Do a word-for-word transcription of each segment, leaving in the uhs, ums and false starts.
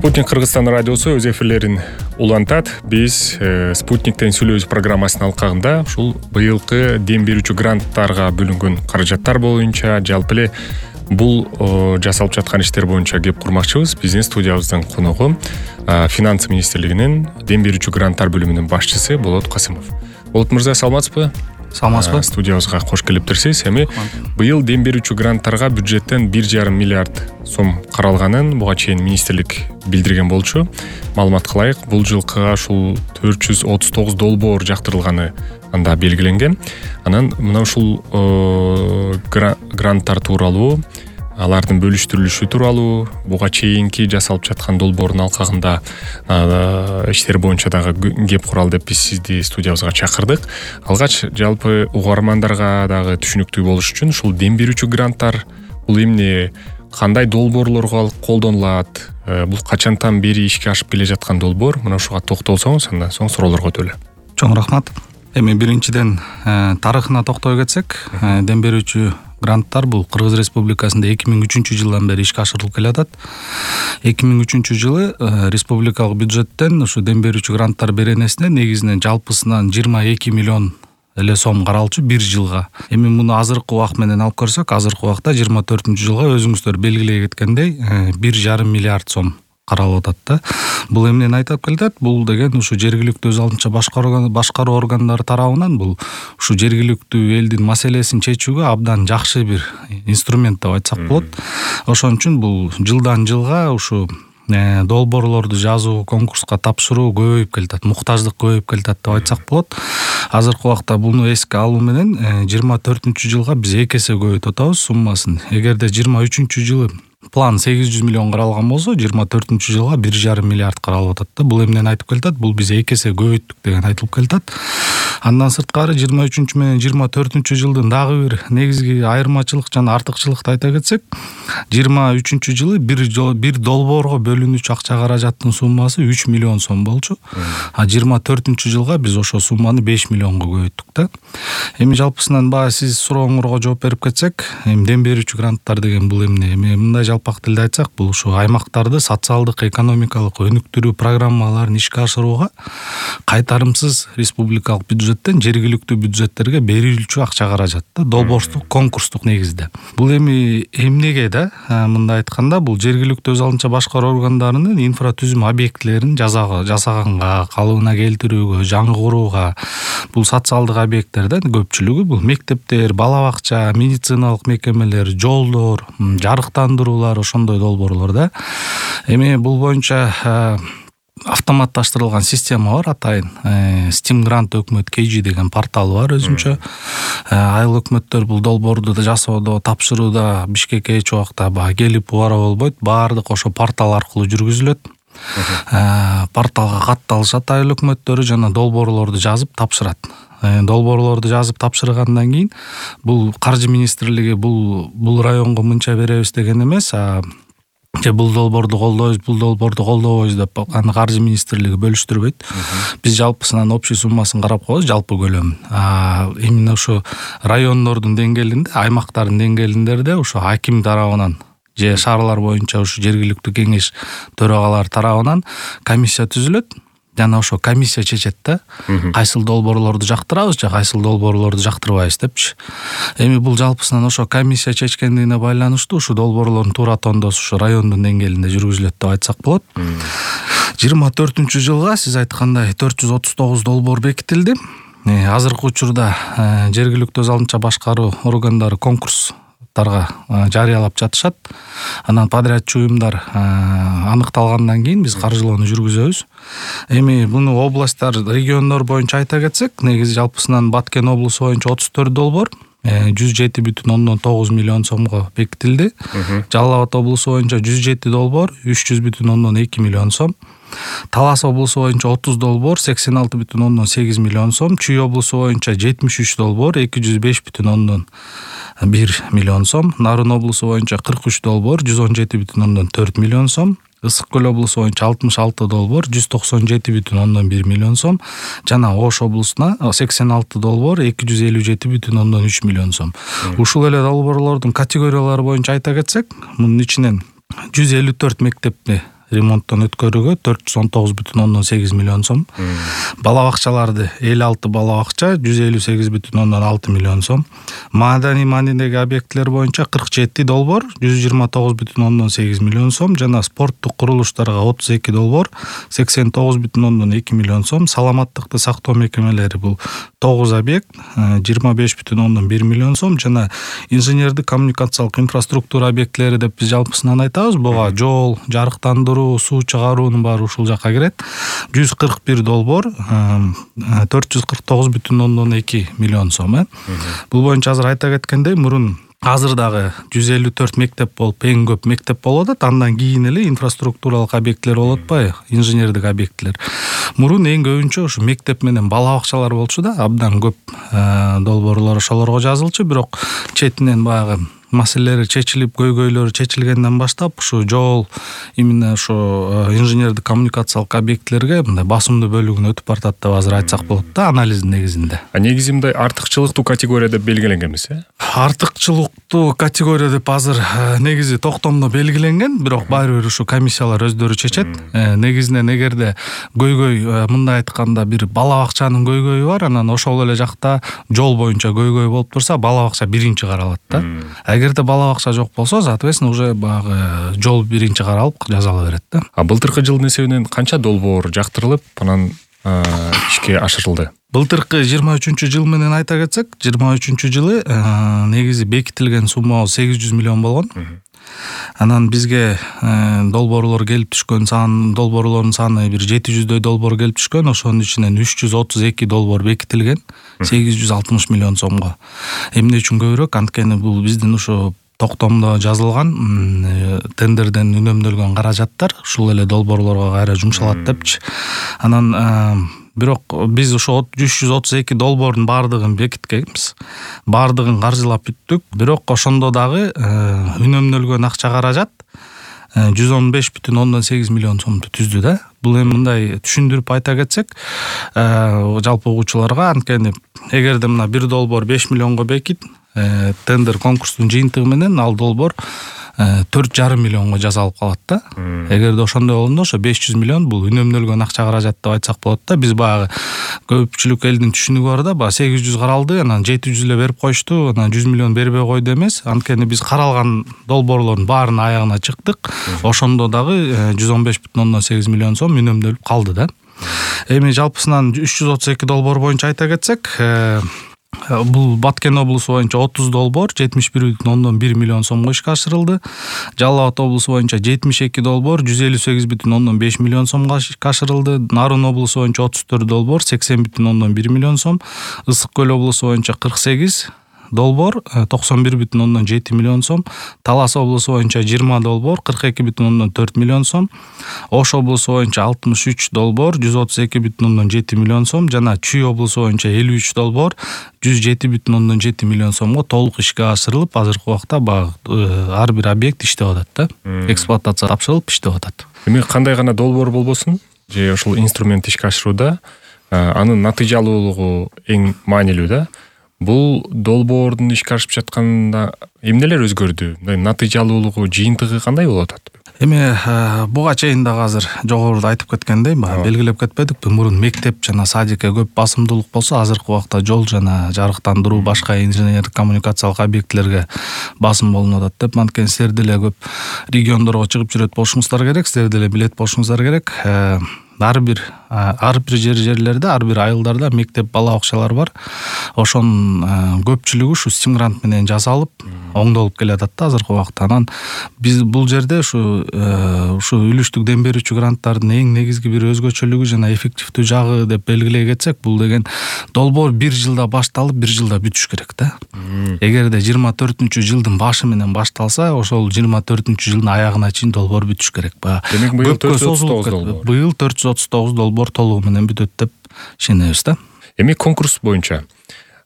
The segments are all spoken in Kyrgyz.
Спутник Кыргызстан радиосу өз эфирлерин улантат. Биз э, Спутниктен сүйлөбүз программасынын алкагында ушул быйылкы дем берүүчү гранттарга бөлүнгөн каражаттар боюнча, жалпы эле бул о, жасалып жаткан иштер боюнча кеп курмакчыбыз. Биздин студиябыздын коногу э, Финансы министрлигинин дем берүүчү гранттар бөлүмүнүн башчысы Болот Касымов. Болот мырза, саламатсызбы? Саламатсызбы? Студиябызга кош келиптирсиз. Эми быйыл дем берүүчү гранттарга бюджеттен бир жарым миллиард сом каралганын буга чейин министрлик билдирген болчу. Маалымат кылайык, бул жылкыга ушул төрт жүз отуз тогуз долбоор жактырылганы анда белгиленген. Анан мына ушул гранттар тууралуу, алардын бөлүштүрүлүшү тууралуу, буга чейинки жасалып жаткан долбоордун алкагында иштер боюнча дагы кеп куралы деп биз сизди студиябызга чакырдык. Алгач жалпы угармандарга дагы түшүнүктүү болуш үчүн ушул дем берүүчү гранттар бул эмне, кандай долбоорлорго колдонулат, бул качантан бери ишке ашып келе жаткан долбоор, мына ушуга токтолсоңуз, андан соң суроолорго өтөлү. Чоң рахмат. Эми биринчиден тарыхына токтой кетсек, дем берүүчү гранттар бул Кыргыз Республикасында эки миң үчүнчү жылдан бери ишке ашырылып келатат. эки миң үчүнчү жылы республикалык бюджеттен ушу дем берүүчү гранттар беренесине негизинен жалпысынан жыйырма эки миллион эле сом каралчу бир жылга. Эми муну азыркы убак менен алып көрсөк, азыркы убакта жыйырма төртүнчү жылга өзүңүздөр белгилей кеткендей бир жарым миллиард сом каралып атат да. Бул эмнени айтып келет? Бул деген ушу жергиликтүү өз алдынча башкаруу органдары тарабынан бул ушу жергиликтүү элдин маселесин чечүүгө абдан жакшы бир инструмент деп айтсак болот. Ошон үчүн бул жылдан жылга ушу долбоорлорду жазуу, конкурска тапшыруу көбөйүп келатат, муктаждык көбөйүп келатат деп айтсак болот. Азыркы убакта буну эске алуу менен жыйырма төртүнчү жылга биз эки эсе көбөйтүп атабыз суммасын. Эгерде жыйырма үчүнчү жылы план сегиз жүз миллион каралган болсо, жыйырма төртүнчү жылга бир жарым миллиард каралып атат да. Бул эмнени айтып келет? Бул биз эки эсе көбөйттүк деген айтылып келет. Андан сырткары жыйырма үчүнчү менен жыйырма төртүнчү жылдын дагы бир негизги айырмачылык жана артыкчылыкты айта кетсек, жыйырма үчүнчү жылы бир бир долбоорго бөлүнүүчү акча каражаттын суммасы үч миллион сом болчу. А жыйырма төртүнчү жылга биз ошо сумманы беш миллионго көбөйттүк да. Эми жалпысынан баягы сиз сурооңорго жооп берип кетсек, эми дем берүүчү гранттар деген бул эмне? Эми мындай жалпак тилде айтсак, бул ушу аймактарды социалдык, экономикалык өнүктүрүү программаларын ишке ашырууга кайтарымсыз республикалык бюджеттен жергиликтүү бюджеттерге берилүүчү акча каражат да, долбоордук, конкурстук негизде. Бул эми эмнеге да? Мындай айтканда, бул жергиликтүү өз алдынча башкаруу органдарынын инфратүзүм объектилерин жасаганга, калыбына келтирүүгө, жаңгырууга, бул социалдык объекттерден көпчүлүгү бул мектептер, бала бакча, медициналык мекемелер, жолдор, жарыктандыруулар, ошондой долбоорлор да. Эми бул боюнча автоматташтырылган система бар, атайын Steam Grant өкмөт кей жи деген порталы бар өзүнчө. Айыл өкмөттөр бул долбоорду жасоодо, тапшырууда Бишкекке эч убакта баа келип убара болбойт, баардык ошо портал аркылуу жүргүзүлөт. Порталга катталышат айыл өкмөттөрү жана долбоорлорду жазып тапшырат. Долбоорлорду жазып тапшыргандан кийин бул каржы министрлиги бул бул районго мынча беребиз деген эмес, а же бул долбоорду колдойбуз, бул долбоорду колдобойбуз деп аны каржы министрлиги бөлүштүрбөйт. Биз жалпысынан общий суммасын карап коебуз, жалпы көлөмүн. А именно ушу райондордун деңгээлинде, аймактардын деңгээлиндерде ушу аким тарабынан же шаарлар боюнча ушу жергиликтүү кеңеш төрагалары тарабынан комиссия түзүлөт. Жана ошо комиссия чечет да, кайсыл долбоорлорду жактырабыз же кайсыл долбоорлорду жактырбайбыз депчи. Эми бул жалпысынан ошо комиссия чечкендигине байланыштуу ушу долбоорлордун туура тондосу ушу райондун деңгээлинде жүргүзүлөт деп айтсак болот. жыйырма төртүнчү жылга сиз айткандай төрт жүз отуз тогуз долбоор бекитилди. Азыркы учурда жергиликтүү өз алдынча башкаруу органдары конкурс жарыялап жатышат. Анан подрядчы уюмдар аныкталгандан кийин биз каржылоону жүргүзөбүз. Эми буну областтар, региондор боюнча айта кетсек, негизи жалпысынан Баткен облусу боюнча отуз төрт долбоор жүз жети бүтүн ондон тогуз миллион сомго бекитилди. Жалал Абад облусу боюнча жүз жети долбоор үч жүз бүтүн ондон эки миллион сом. Талас облусу боюнча отуз долбоор сексен алты бүтүн ондон сегиз миллион сом. Чүй облусу боюнча жетимиш үч долбоор эки жүз беш бүтүн ондон бир миллион сом. Нарын облусу боюнча кырк үч долбоор жүз он жети бүтүн ондон төрт миллион сом. Ысык көл облусу боюнча алтымыш алты долбоор жүз токсон жети бүтүн ондон бир миллион сом. Жана Ош облусуна сексен алты долбоор эки жүз элүү жети бүтүн ондон үч миллион сом. Ушул эле долбоорлордун категориялары боюнча айта кетсек, мунун ичинен жүз элүү төрт мектепти ремонттон өткөрүүгө төрт жүз он тогуз бүтүн ондон сегиз миллион сом. Бала бакчаларды элүү алты бала бакча жүз элүү сегиз бүтүн ондон алты миллион сом. Маданий маанидеги объектлер боюнча кырк жети долбоор жүз жыйырма тогуз бүтүн ондон сегиз миллион сом жана спорттук курулуштарга отуз эки долбоор сексен тогуз бүтүн ондон эки миллион сом. Саламаттыкты сактоо мекемелери бул тогуз объект жыйырма беш бүтүн ондон бир миллион сом жана инженердик коммуникациялык инфраструктура объектлери деп биз жалпысынан айтабыз. Буга жол, жарыктандыруу, суу чыгаруунун баары ушул жакка кирет. жүз кырк бир долбоор төрт жүз кырк тогуз бүтүн ондон эки миллион сом. э Бул боюнча азыр айта кеткендей, мурун азыр дагы жүз элүү төрт мектеп болуп, эң көп мектеп болуп атат. Андан кийин эле инфраструктуралык объекттер болуп атпайбы, инженердик объекттер. Мурун эң көбүнчө ушу мектеп менен бала бакчалар болчу да, абдан көп долбоорлор ошолорго жазылчу. Бирок четинен баягы маселелери чечилип, көйгөйлөрү чечилгенден баштап ушу жол, именно ошо инженердик коммуникациялык объектлерге мындай басымдуу бөлүгүнө өтүп баратат деп азыр айтсак болот да, анализдин негизинде. А негизи мындай артыкчылыктуу категория деп белгиленген эмес, э? Артыкчылыктуу категория деп азыр негизи токтомдо белгиленген, бирок баары бир ушу комиссиялар өздөрү чечет. Негизинен эгерде көйгөй, мындай айтканда, бир бала бакчанын көйгөйү бар, анан ошол эле жакта жол боюнча көйгөй болуп турса, бала бакча биринчи каралат да. Эгерде бала бакча жок болсо, соответственно, уже баягы жол биринчи каралып жазала берет да. А былтыркы жылдын эсебинен канча долбоор жактырылып, анан ишке ашырылды? Былтыркы жыйырма үчүнчү жыл менен айта кетсек, жыйырма үчүнчү жылы негизи бекитилген суммабыз сегиз жүз миллион болгон. Анан бизге долбоорлор келип түшкөн сан, долбоорлордун саны бир жети жүздөй долбоор келип түшкөн. Ошонун ичинен үч жүз отуз эки долбоор бекитилген, сегиз жүз алтымыш миллион сомго. Эмне үчүн көбүрөөк? Анткени бул биздин ушу токтомдо жазылган тендерден үнөмдөлгөн каражаттар ушул эле долбоорлорго кайра жумшалат депчи. Анан бирок биз ошо үч жүз отуз эки долбоордун баардыгын бекиткенбиз. Баардыгын каржылап бүттүк. Бирок ошондо дагы үнөмдөлгөн акча каражат жүз он беш бүтүн ондон сегиз миллион сомду түздү да. Бул эми мындай түшүндүрүп айта кетсек, жалпы угуучуларга, анткени эгерде мына бир долбоор беш миллионго бекит, тендер конкурстун жыйынтыгы менен ал долбоор төрт жарым миллионго жасалып калат да. Эгерде ошондой болгондо ошо беш жүз миллион бул үнөмдөлгөн акча каражат деп айтсак болот да. Биз баягы көпчүлүк элдин түшүнүгү бар да, баягы сегиз жүз каралды, анан жети жүз эле берип коюшту, анан жүз миллион бербей койду эмес. Анткени биз каралган долбоорлордун баарынын аягына чыктык. Ошондо дагы жүз он беш бүтүн ондон сегиз миллион сом үнөмдөлүп калды да. Эми жалпысынан үч жүз отуз эки долбоор боюнча айта кетсек, бул Баткен облусу боюнча отуз долбоор жетимиш бир бүтүн ондон бир миллион сомго ишке ашырылды. Жалал Абад облусу боюнча жетимиш эки долбоор жүз элүү сегиз бүтүн ондон беш миллион сомго ишке ашырылды. Нарын облусу боюнча отуз төрт долбоор сексен бүтүн ондон бир миллион сом. Ысык көл облусу боюнча кырк сегиз долбоор токсон бир бүтүн ондон жети миллион сом. Талас облусу боюнча жыйырма долбоор кырк эки бүтүн ондон төрт миллион сом. Ош облусу боюнча алтымыш үч долбоор жүз отуз эки бүтүн ондон жети миллион сом жана Чүй облусу боюнча элүү үч долбоор жүз жети бүтүн ондон жети миллион сомго толук ишке ашырылып, азыркы убакта ар бир объект иштеп атат да. Эксплуатация тапшырылып иштеп атат. Эми кандай гана долбоор болбосун, же ошол инструмент ишке ашырууда анын натыйжалуулугу эң маанилүү да. Бул долбоордун ишке ашып жатканда эмнелер өзгөрдү? Мындай натыйжалуулугу, жыйынтыгы кандай болуп атат? Эми буга чейин дагы азыр жогоруда айтып кеткендей, белгилеп кетпедикпи? Мурун мектеп жана садикке көп басымдуулук болсо, азыркы убакта жол жана жарыктандыруу, башка инженердик коммуникациялык объектлерге басым болуп атат деп. Анткени силер деле көп региондорго чыгып жүрөт болушуңуздар керек, силер деле билет болушуңуздар керек. Ар бир ар бир жер жерлерде, ар бир айылдарда мектеп, бала бакчалар бар. Ошонун көпчүлүгү ушу стим грант менен жасалып, оңдолуп келатат да азыркы убакта. Анан биз бул жерде ушу ушу үлүштүк дем берүүчү гранттардын эң негизги бир өзгөчөлүгү жана эффективдүү жагы деп белгилей кетсек, бул деген долбоор бир жылда башталып, бир жылда бүтүш керек да. Эгерде жыйырма төртүнчү жылдын башы менен башталса, ошол жыйырма төртүнчү жылдын аягына чейин долбоор бүтүш керек. Демек быйыл төрт жүз отуз тогуз долбоор. Быйыл төрт жүз отуз тогуз долбоор толугу менен бүтөт деп ишенебиз да. Эми конкурс боюнча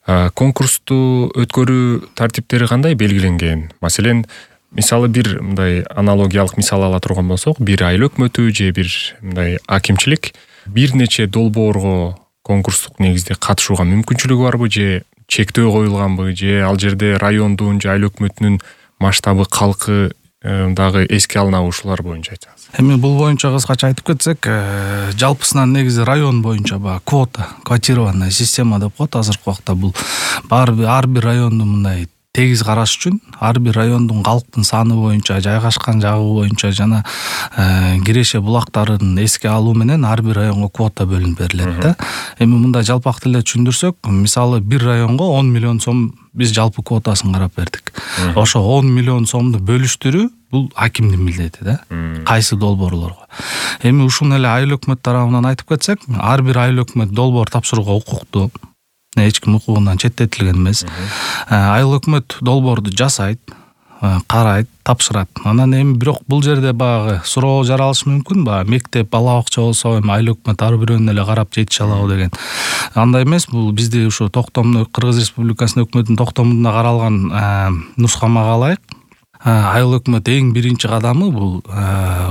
конкурсту өткөрүү тартиптери кандай белгиленген? Маселен, мисалы бир мындай аналогиялык мисал ала турган болсок, бир айыл өкмөтү же бир мындай акимчилик бир нече долбоорго конкурстук негизде катышууга мүмкүнчүлүгү барбы, же чектөө коюлганбы, же ал жерде райондун же айыл өкмөтүнүн масштабы, калкы дагы эске алынабы ушулар боюнча айтсаңыз. Эми бул боюнча кыскача айтып кетсек, жалпысынан негизи район боюнча баягы квота, квотированная система деп коет азыркы убакта. Бул ар бир районду мындай тегиз караш үчүн ар бир райондун калктын саны боюнча, жайгашкан жагы боюнча жана киреше булактарын эске алуу менен ар бир районго квота бөлүнүп берилет да. Эми мындай жалпак тилде түшүндүрсөк, мисалы бир районго он миллион сом биз жалпы квотасын карап бердик. Ошо он миллион сомду бөлүштүрүү бул акимдин милдети да. Кайсы долбоорлорго. Эми ушуну эле айыл өкмөт тарабынан айтып кетсек, ар бир айыл өкмөт долбоор тапшырууга укуктуу. Эч ким укугунан четтетилген эмес. Айыл өкмөт долбоорду жасайт, карайт, тапшырат. Анан эми бирок бул жерде баягы суроо жаралышы мүмкүн, баягы мектеп, бала бакча болсо эми айыл өкмөт ар бирөөнү эле карап жетише алабы деген. Андай эмес, бул бизде ушу токтомдо Кыргыз Республикасынын өкмөтүнүн токтомунда каралган нускамага ылайык айыл өкмөт эң биринчи кадамы бул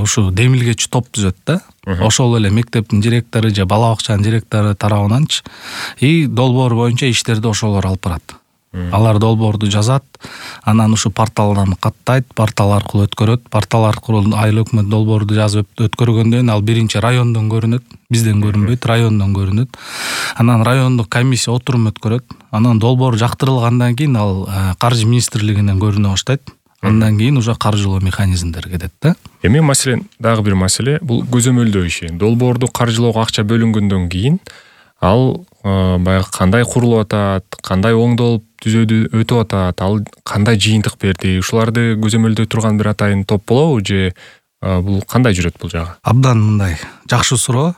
ушу демилгечи топ түзөт да. Ошол эле мектептин директору же бала бакчанын директору тарабынанчы и долбоор боюнча иштерди ошолор алып барат. Алар долбоорду жазат, анан ушу порталдан каттайт, портал аркылуу өткөрөт. Портал аркылуу айыл өкмөт долбоорду жазып өткөргөндөн кийин ал биринчи райондон көрүнөт, бизден көрүнбөйт, райондон көрүнөт. Анан райондук комиссия отурум өткөрөт. Анан долбоор жактырылгандан кийин ал каржы министрлигинен көрүнө баштайт. Андан кийин уже каржылоо механизмдери кетет да. Эми маселен дагы бир маселе бул көзөмөлдөө иши. Долбоорду каржылоого акча бөлүнгөндөн кийин ал баягы кандай курулуп атат, кандай оңдолуп түзөөдү өтүп атат, ал кандай жыйынтык берди, ушуларды көзөмөлдөй турган бир атайын топ болобу же бул кандай жүрөт бул жагы? Абдан мындай жакшы суроо.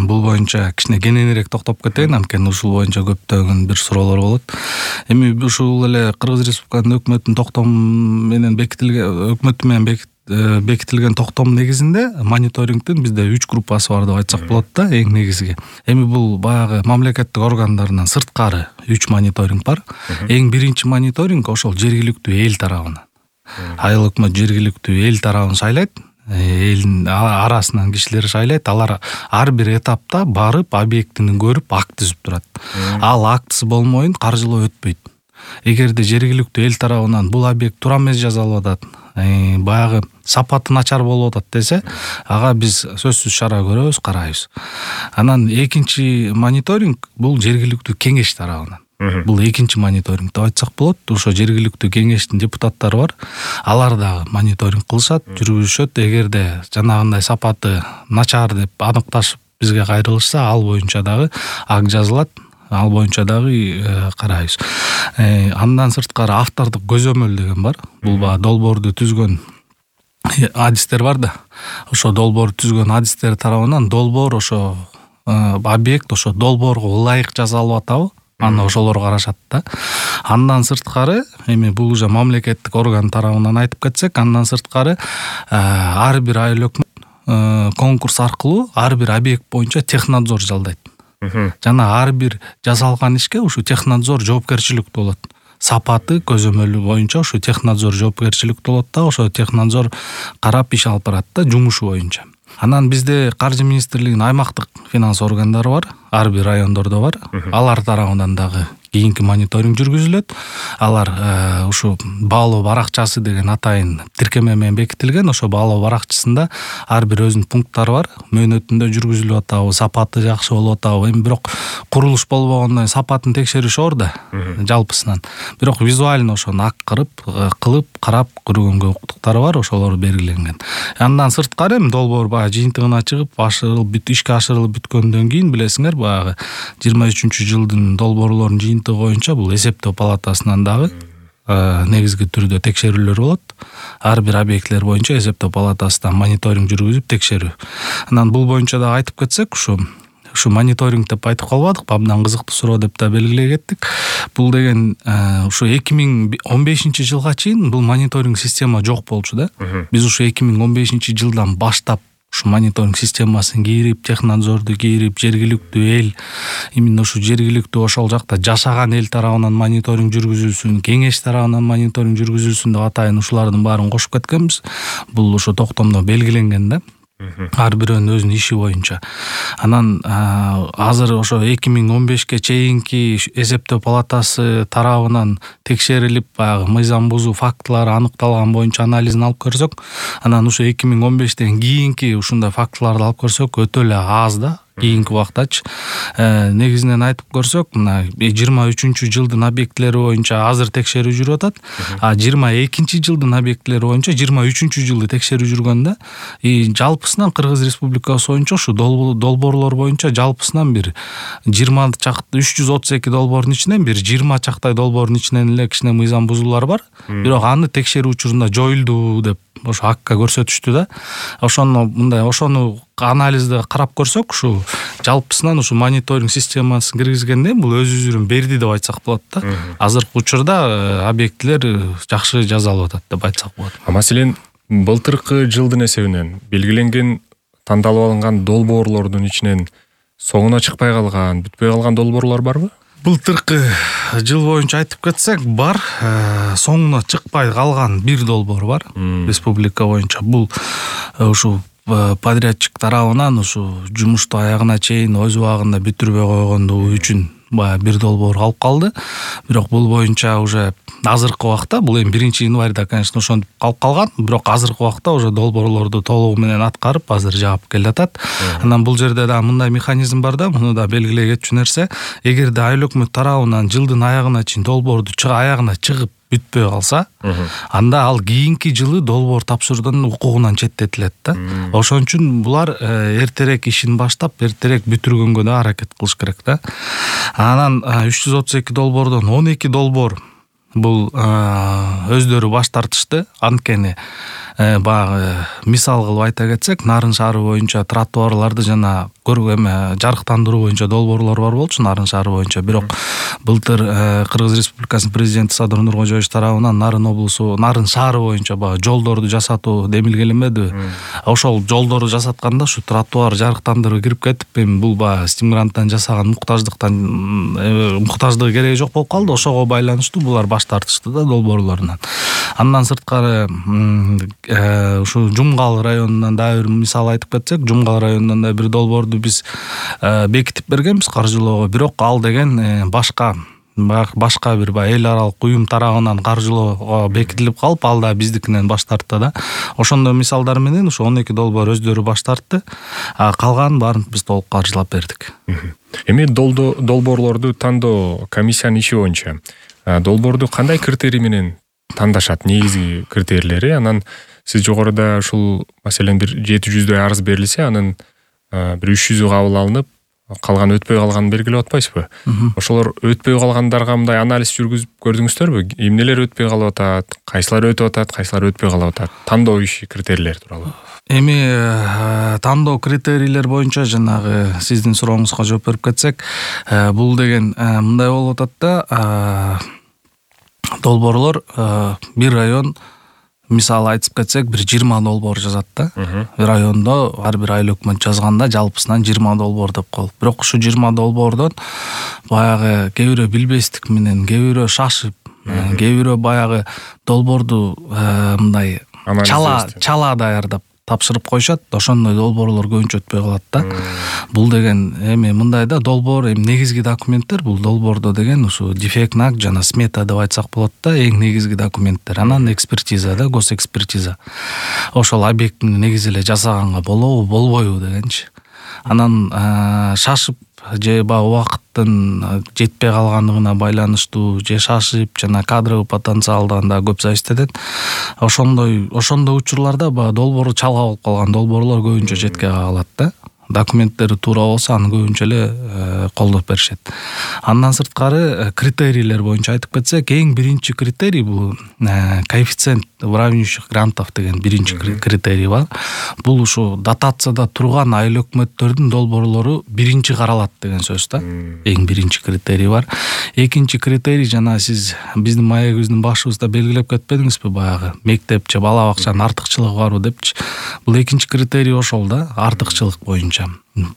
Бул боюнча кичине кененирээк токтоп кетейин, анткени ушул боюнча көптөгөн бир суроолор болот. Эми ушул эле Кыргыз Республикасынын өкмөтүнүн токтому менен бекитилген өкмөтү менен бекитилген токтом негизинде мониторингдин бизде үч группасы бар деп айтсак болот да, эң негизги. Эми бул баягы мамлекеттик органдарынан сырткары үч мониторинг бар. Эң биринчи мониторинг ошол жергиликтүү эл тарабынан. Айыл өкмөт жергиликтүү эл тарабын шайлайт. Элдин арасынан кишилер шайлайт. Алар ар бир этапта барып объектини көрүп акт түзүп турат. Ал актысы болмойун каржылоо өтпөйт. Эгерде жергиликтүү эл тарабынан бул объект туура эмес жасалып атат, баягы сапаты начар болуп атат десе, ага биз сөзсүз чара көрөбүз, карайбыз. Анан экинчи мониторинг бул жергиликтүү кеңеш тарабынан. Бул экинчи мониторинг деп айтсак болот. Ошо жергиликтүү кеңештин депутаттары бар. Алар дагы мониторинг кылышат, жүргүзүшөт. Эгерде жанагындай сапаты начар деп аныкташып бизге кайрылышса, ал боюнча дагы акт жазылат. Ал боюнча дагы карайбыз. Андан сырткары автордук көзөмөл деген бар. Бул баягы долбоорду түзгөн адистер бар да. Ошо долбоорду түзгөн адистер тарабынан долбоор ошо объект ошо долбоорго ылайык жасалып атабы? Аны ошолор карашат да. Андан сырткары эми бул уже мамлекеттик орган тарабынан айтып кетсек, андан сырткары ар бир айыл өкмөт конкурс аркылуу ар бир объект боюнча технадзор жалдайт. Жана ар бир жасалган ишке ушу технадзор жоопкерчиликтүү болот. Сапаты көзөмөлү боюнча ушу технадзор жоопкерчиликтүү болот да, ошо технадзор карап иш алып барат да, жумушу боюнча. Анан бизде каржы министрлигинин аймактык финанс органдары бар, ар бир райондордо бар. Алар тарабынан дагы кийинки мониторинг жүргүзүлөт. Алар ушу баалоо баракчасы деген атайын тиркеме менен бекитилген. Ошо баалоо баракчасында ар бир өзүнүн пункттары бар. Мөөнөтүндө жүргүзүлүп атабы, сапаты жакшы болуп атабы. Эми бирок курулуш болбогондон сапатын текшериш оор да, жалпысынан. Бирок визуально ошону ак кырып, кылып, карап көргөнгө укуктуктары бар, ошолор белгиленген. Андан сырткары эми долбоор баягы жыйынтыгына чыгып, ашырылып, бүт ишке ашырылып бүткөндөн кийин билесиңер, баягы жыйырма үчүнчү жылдын долбоорлорунун жыйынтыгы боюнча бул эсептөө палатасынан дагы негизги түрдө текшерүүлөр болот. Ар бир объектлер боюнча эсептөө палатасынан мониторинг жүргүзүп текшерүү. Анан бул боюнча дагы айтып кетсек, ушу ушу мониторинг деп айтып калбадык, абдан кызыктуу суроо деп да белгилей кеттик. Бул деген ушу эки миң он бешинчи жылга чейин бул мониторинг система жок болчу да. Биз ушу эки миң он бешинчи жылдан баштап ушу мониторинг системасын кийирип, технадзорду кийирип, жергиликтүү эл, именно ушу жергиликтүү ошол жакта жашаган эл тарабынан мониторинг жүргүзүлсүн, кеңеш тарабынан мониторинг жүргүзүлсүн деп атайын ушулардын баарын кошуп кеткенбиз. Бул ушу токтомдо белгиленген да. ар бирөөнүн өзүнүн иши боюнча. Анан азыр ошо эки миң он бешке чейинки эсептөө палатасы тарабынан текшерилип, баягы мыйзам бузуу фактылары аныкталган боюнча анализин алып көрсөк, анан ушу эки миң он бештен кийинки ушундай фактыларды алып көрсөк өтө эле аз да. Кийинки убактачы негизинен айтып көрсөк, мына жыйырма үчүнчү жылдын объектилери боюнча азыр текшерүү жүрүп атат, а жыйырма экинчи жылдын объектилери боюнча жыйырма үчүнчү жылды текшерүү жүргөн да. И жалпысынан Кыргыз Республикасы боюнча ушу долбоорлор боюнча жалпысынан бир жыйырма чакты үч жүз отуз эки долбоордун ичинен бир жыйырма чактай долбоордун ичинен эле кичине мыйзам бузуулар бар. Бирок аны текшерүү учурунда жоюлду деп ошо акка көрсөтүштү да. Ошону мындай ошону анализди карап көрсөк, ушу жалпысынан ушу мониторинг системасын киргизгенде бул өз үзүрүн берди деп айтсак болот да. Азыркы учурда объектилер жакшы жазалып атат деп айтсак болот. А маселен былтыркы жылдын эсебинен белгиленген тандалып алынган долбоорлордун ичинен соңуна чыкпай калган, бүтпөй калган долбоорлор барбы? Былтыркы жыл боюнча айтып кетсек, бар. Соңуна чыкпай калган бир долбоор бар республика боюнча. Бул ушу подрядчик тарабынан ушу жумушту аягына чейин өз убагында бүтүрбөй койгондугу үчүн баягы бир долбоор калып калды. Бирок бул боюнча уже азыркы убакта, бул эми биринчи январда, конечно, ошентип калып калган, бирок азыркы убакта уже долбоорлорду толугу менен аткарып, азыр жаап келатат. Анан бул жерде да мындай механизм бар да, муну да белгилей кетчү нерсе, эгерде айыл өкмөт тарабынан жылдын аягына чейин долбоорду аягына чыгып бүтпөй калса, анда ал кийинки жылы долбоор тапшыруудан укугунан четтетилет да. Ошон үчүн булар эртерээк ишин баштап, эртерээк бүтүргөнгө да аракет кылыш керек да. Анан үч жүз отуз эки долбоордон он эки долбоор бул өздөрү баш тартышты. Анткени баягы мисал кылып айта кетсек, Нарын шаары боюнча тротуарларды жана эме жарыктандыруу боюнча долбоорлор бар болчу Нарын шаары боюнча. Бирок былтыр Кыргыз Республикасынын президенти Садыр Нуркожоевич тарабынан Нарын облусу, Нарын шаары боюнча баягы жолдорду жасатуу демилгеленбедиби? Ошол жолдорду жасатканда ушу тротуар жарыктандыруу кирип кетип, эми бул баягы стимуранттан жасаган муктаждыктан муктаждыгы кереги жок болуп калды. Ошого байланыштуу булар баш тартышты да долбоорлорунан. Андан сырткары ушу Жумгал районунан да бир мисал айтып кетсек, Жумгал районунан да бир долбоорду биз бекитип бергенбиз каржылоого. Бирок ал деген башка башка бир баягы эл аралык уюм тарабынан каржылоого бекитилип калып, ал да биздикинен баш тартты да. Ошондой мисалдар менен ушу он эки долбоор өздөрү баш тартты. А калганын баарын биз толук каржылап бердик. Эми долбоорлорду тандоо комиссиянын иши боюнча долбоорду кандай критерий менен тандашат, негизги критерийлери? Анан сиз жогоруда ушул маселен бир жети жүздөй арыз берилсе, анын бир үч жүзү кабыл алынып, калган өтпөй калганын белгилеп атпайсызбы? Ошолор өтпөй калгандарга мындай анализ жүргүзүп көрдүңүздөрбү? Эмнелер өтпөй калып атат, кайсылар өтүп атат, кайсылар өтпөй калып атат? Тандоо иши критерийлери тууралуу. Эми тандоо критерийлер боюнча жанагы сиздин сурооңузга жооп берип кетсек, бул деген мындай болуп атат да, долбоорлор бир район, мисалы айтып кетсек, бир жыйырма долбоор жазат да. Райондо ар бир айыл өкмөт жазганда жалпысынан жыйырма долбоор деп коелук. Бирок ушу жыйырма долбоордон баягы кээ бирөө билбестик менен, кээ бирөө шашып, кээ бирөө баягы долбоорду мындай чала чала даярдап тапшырып коюшат. Ошондой долбоорлор көбүнчө өтпөй калат да. Бул деген эми мындай да, долбоор эми негизги документтер, бул долбоордо деген ушу дефектный акт жана смета деп айтсак болот да, эң негизги документтер. Анан экспертиза да, госэкспертиза. Ошол объектини негизи эле жасаганга болобу, болбойбу дегенчи. Анан шашып же баягы убакыттын жетпей калгандыгына байланыштуу, же шашып жана кадровый потенциалдан да көп зависит этет. Ошондой ошондой учурларда баягы долбоору чалга болуп калган долбоорлор көбүнчө четке калат да. Документтери туура болсо аны көбүнчө эле колдоп беришет. Андан сырткары критерийлер боюнча айтып кетсек, эң биринчи критерий бул коэффициент выравнивающих грантов деген биринчи критерий бар. Бул ушу дотацияда турган айыл өкмөттөрдүн долбоорлору биринчи каралат деген сөз да. Эң биринчи критерий бар. Экинчи критерий жана сиз биздин маегибиздин башыбызда белгилеп кетпедиңизби баягы мектеп же бала бакчанын артыкчылыгы барбы депчи. Бул экинчи критерий ошол да, артыкчылык боюнча.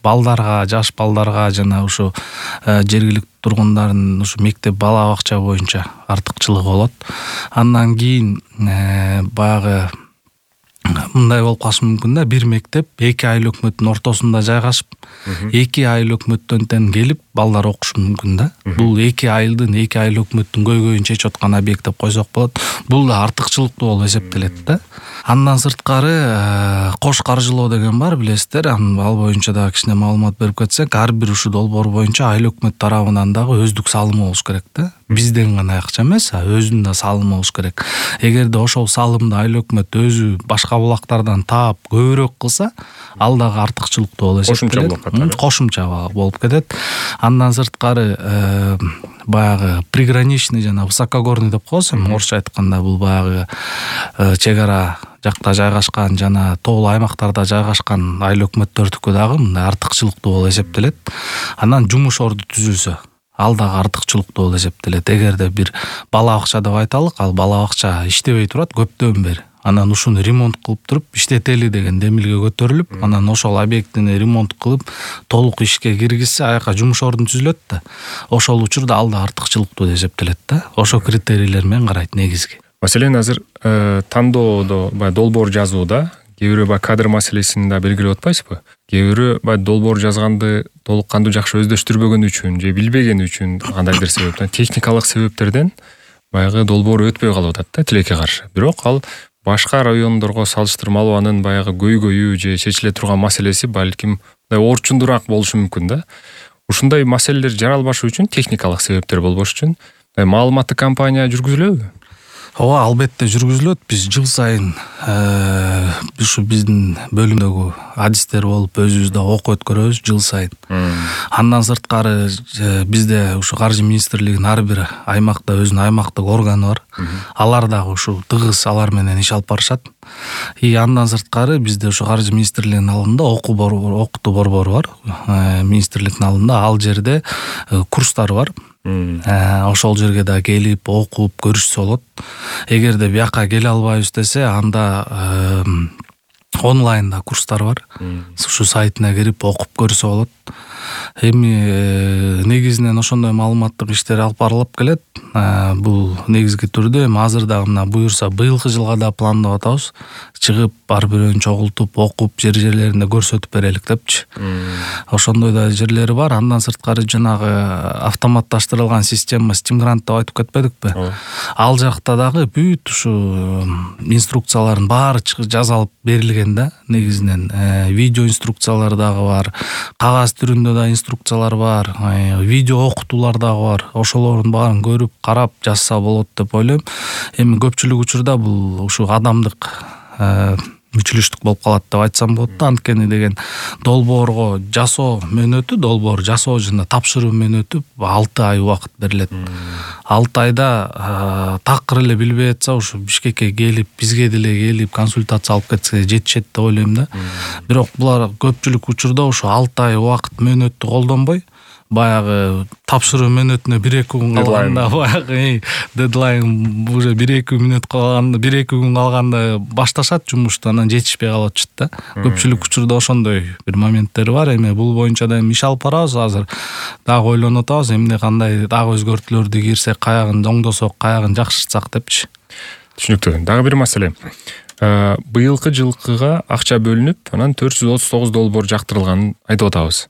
Балдарга, жаш балдарга жана ушу жергиликтүү тургундардын ушу мектеп бала бакча боюнча артыкчылыгы болот. Андан кийин баягы мындай болуп калышы мүмкүн да, бир мектеп эки айыл өкмөттүн ортосунда жайгашып, эки айыл өкмөттөн тең келип балдар окушу мүмкүн да. Бул эки айылдын, эки айыл өкмөттүн көйгөйүн чечип аткан объект деп койсок болот. Бул да артыкчылыктуу болуп эсептелет да. Андан сырткары кош каржылоо деген бар, билесиздер. Ал боюнча дагы кичине маалымат берип кетсек, ар бир ушул долбоор боюнча айыл өкмөт тарабынан дагы өздүк салымы болуш керек да. Бизден гана акча эмес, өзүнүн да салымы болуш керек. Эгерде ошол салымды айыл өкмөт өзү башка булактардан таап көбүрөөк кылса, ал дагы артыкчылыктуу болуп эсептелет. Кошумча болуп кетет. Кошумча болуп кетет. Андан сырткары баягы приграничный жана высокогорный деп коебуз, орусча айтканда бул баягы чек ара жакта жайгашкан жана тоолуу аймактарда жайгашкан айыл өкмөттөрдүкү дагы мындай артыкчылыктуу болуп эсептелет. Анан жумуш орду түзүлсө, ал дагы артыкчылыктуу болуп эсептелет. Эгерде бир бала бакча деп айталык, ал бала бакча иштебей турат көптөн бери. Анан ушуну ремонт кылып туруп, иштетели деген демилге көтөрүлүп, анан ошол объектини ремонт кылып, толук ишке киргизсе, аяка жумуш орду түзүлөт да. Ошол учурда ал да артыкчылыктуу деп эсептелет да. Ошол критерийлер менен карайт негизги. Маселен, азыр тандоодо баягы долбоор жазууда кээ бирөө баягы кадр маселесин да белгилеп атпайсызбы? Кээ бирөө баягы долбоор жазганды толук кандуу жакшы өздөштүрбөгөн үчүн же билбеген үчүн кандайдыр себептен, техникалык себептерден баягы долбоор өтпөй калып атат да тилекке каршы. Бирок ал башка райондорго салыштырмалуу анын баягы көйгөйү же чечиле турган маселеси балким орчундураак болушу мүмкүн да. Ушундай маселелер жаралбашы үчүн, техникалык себептер болбош үчүн маалыматтык кампания жүргүзүлөбү? Ооба, албетте жүргүзүлөт. Биз жыл сайын ушу биздин бөлүмдөгү адистер болуп өзүбүздө окуу өткөрөбүз жыл сайын. Андан сырткары бизде ушу каржы министрлигинин ар бир аймакта өзүнүн аймактык органы бар. Алар дагы ушу тыгыз алар менен иш алып барышат. И андан сырткары бизде ушу каржы министрлигинин алдында окуу борбору, окутуу борбору бар. Министрликтин алдында ал жерде курстар бар. Ошол жерге да келип окуп көрүшсө болот. Эгерде бияка келе албайбыз десе, анда онлайнда курстар бар. Ушу сайтына кирип окуп көрсө болот. Эми негизинен ошондой маалыматтык иштер алып барылып келет. Бул негизги түрдө эми азыр дагы мына буюрса быйылкы жылга да пландап атабыз. Чыгып ар бирөөнү чогултуп, окуп, жер жерлеринде көрсөтүп берелик депчи. Ошондой да жерлери бар. Андан сырткары жанагы автоматташтырылган система Стимгрант деп айтып кетпедикпи? Ал жакта дагы бүт ушу инструкциялардын баары жазалып берилген да. Негизинен видео инструкциялар дагы бар. Кагаз түрүндө да инструкциялар бар, видео окутуулар дагы бар. Ошолордун баарын көрүп, карап жазса болот деп ойлойм. Эми көпчүлүк учурда бул ушу адамдык мүчүлүштүк болуп калат деп айтсам болот да. Анткени деген долбоорго жасоо мөөнөтү, долбоор жасоо жана тапшыруу мөөнөтү алты ай убакыт берилет. алты айда такыр эле билбей атса, ушу Бишкекке келип, бизге деле келип консультация алып кетсе жетишет деп ойлойм да. Бирок булар көпчүлүк учурда ушу алты ай убакыт мөөнөттү колдонбой, баягы тапшыруу мөөнөтүнө бир эки күн калганда, баягы дедлайн уже бир эки мүнөт калганда, бир эки күн калганда башташат жумушту, анан жетишпей калып атышат да. Көпчүлүк учурда ошондой бир моменттер бар. Эми бул боюнча да иш алып барабыз азыр. Дагы ойлонуп атабыз, эмне кандай дагы өзгөртүүлөрдү кирсек, каягын оңдосок, каягын жакшыртсак депчи. Түшүнүктүү. Дагы бир маселе. Быйылкы жылкыга акча бөлүнүп, анан төрт жүз отуз тогуз долбоор жактырылганын айтып атабыз.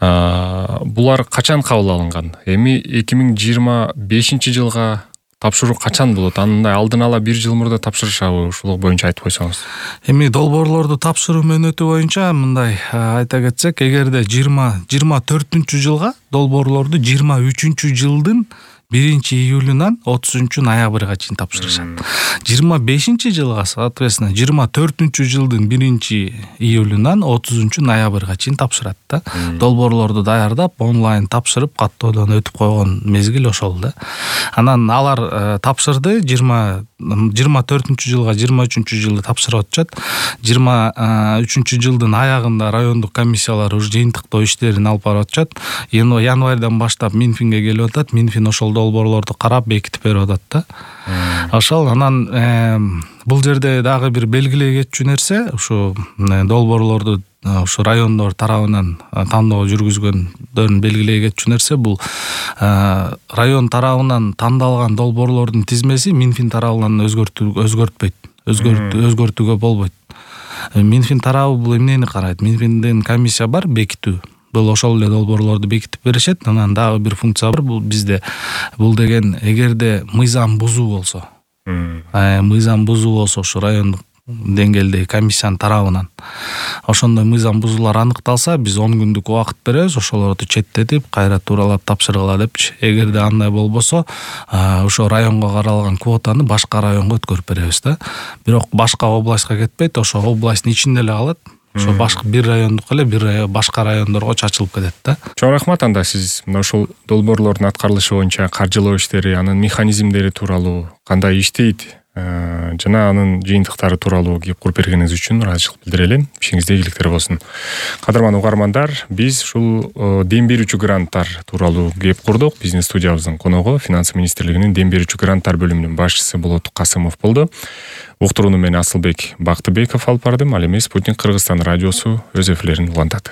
Булар качан кабыл алынган? Эми эки миң жыйырма бешинчи жылга тапшыруу качан болот? Андай алдын ала бир жыл мурда тапшырышабы? Ушул боюнча айтып койсоңуз. Эми долбоорлорду тапшыруу мөөнөтү боюнча мындай айта кетсек, эгерде жыйырма төртүнчү жылга долбоорлорду жыйырма үчүнчү жылдын биринчи июлунан отузунчу ноябрга чейин тапшырышат. жыйырма бешинчи жылга соответственно жыйырма төртүнчү жылдын биринчи июлунан отузунчу ноябрга чейин тапшырат да. Долбоорлорду даярдап, онлайн тапшырып, каттоодон өтүп койгон мезгил ошол да. Анан алар тапшырды, жыйырма төртүнчү жылга жыйырма үчүнчү жылды тапшырып атышат. жыйырма үчүнчү жылдын аягында райондук комиссиялар уж жыйынтыктоо иштерин алып барып атышат. Январдан баштап Минфинге келип атат. Минфин ошол долбоорлорду карап бекитип берип атат да. Ошол анан бул жерде дагы бир белгилей кетчү нерсе, ушу долбоорлорду ушу райондор тарабынан тандоо жүргүзгөндөрүн белгилей кетчү нерсе, бул район тарабынан тандалган долбоорлордун тизмеси Минфин тарабынан өзгөртүлбөйт, өзгөртүүгө болбойт. Минфин тарабы бул эмнени карайт? Минфинден комиссия бар бекитүү. Бул ошол эле долбоорлорду бекитип беришет. Анан дагы бир функция бар. Бул бизде бул деген эгерде мыйзам бузуу болсо, мыйзам бузуу болсо ушу райондук деңгээлдеги комиссиянын тарабынан ошондой мыйзам бузуулар аныкталса, биз он күндүк убакыт беребиз, ошолорду четтетип, кайра тууралап тапшыргыла депчи. Эгерде андай болбосо, ошо районго каралган квотаны башка районго өткөрүп беребиз да. Бирок башка областка кетпейт, ошо областтын ичинде эле калат. Ошо башка бир райондук эле бир башка райондорго чачылып кетет да. Чоң рахмат. Анда сиз мына ушул долбоорлордун аткарылышы боюнча каржылоо иштери, анын механизмдери тууралуу, кандай иштейт жана анын жыйынтыктары тууралуу кеп куруп бергениңиз үчүн ыраазычылык билдире элем. Ишиңизде ийгиликтер болсун. Кадырман угармандар, биз ушул дем берүүчү гранттар тууралуу кеп курдук. Биздин студиябыздын коногу Финансы министрлигинин дем берүүчү гранттар бөлүмүнүн башчысы Болот Касымов болду. Уктурууну мен Асылбек Бактыбеков алып бардым. Ал эми Спутник Кыргызстан радиосу өз эфирлерин улантат.